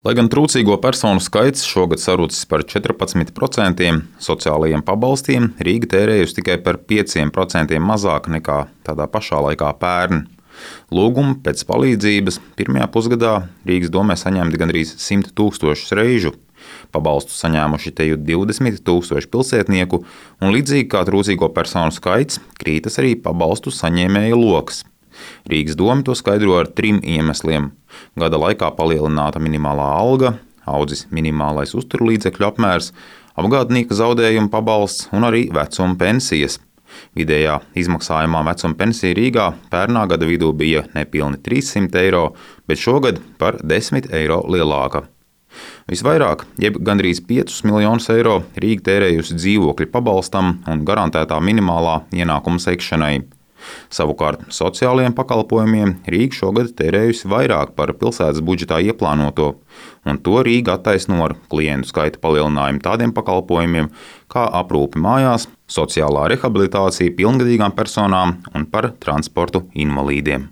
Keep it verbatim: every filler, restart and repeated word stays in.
Lai gan trūcīgo personu skaits šogad sarucis par četrpadsmit procentiem, sociālajiem pabalstiem Rīga tērējusi tikai par pieciem procentiem mazāk nekā tādā pašā laikā pērn. Lūgumu pēc palīdzības pirmajā pusgadā Rīgas domē saņemti gandrīz simt tūkstošus reižu. Pabalstu saņēmuši teju divdesmit tūkstoši pilsētnieku, un līdzīgi kā trūcīgo personu skaits, krītas arī pabalstu saņēmēju loks. Rīgas doma to skaidro ar trim iemesliem. Gada laikā palielināta minimālā alga, audzis minimālais uzturlīdzekļu apmērs, apgādnieka zaudējuma pabalsts un arī vecuma pensijas. Vidējā izmaksājumā vecuma pensija Rīgā pērnā gada vidū bija nepilni trīssimt eiro, bet šogad par desmit eiro lielāka. Visvairāk, jeb gandrīz piecus miljonus eiro, Rīga tērējusi dzīvokļu pabalstam un garantētā minimālā ienākuma sekšanai. Savukārt sociālajiem pakalpojumiem Rīga šogad tērējusi vairāk par pilsētas budžetā ieplānoto, un to Rīga attaisno ar klientu skaita palielinājumu tādiem pakalpojumiem kā aprūpe mājās, sociālā rehabilitācija pilngadīgām personām un par transportu invalīdiem.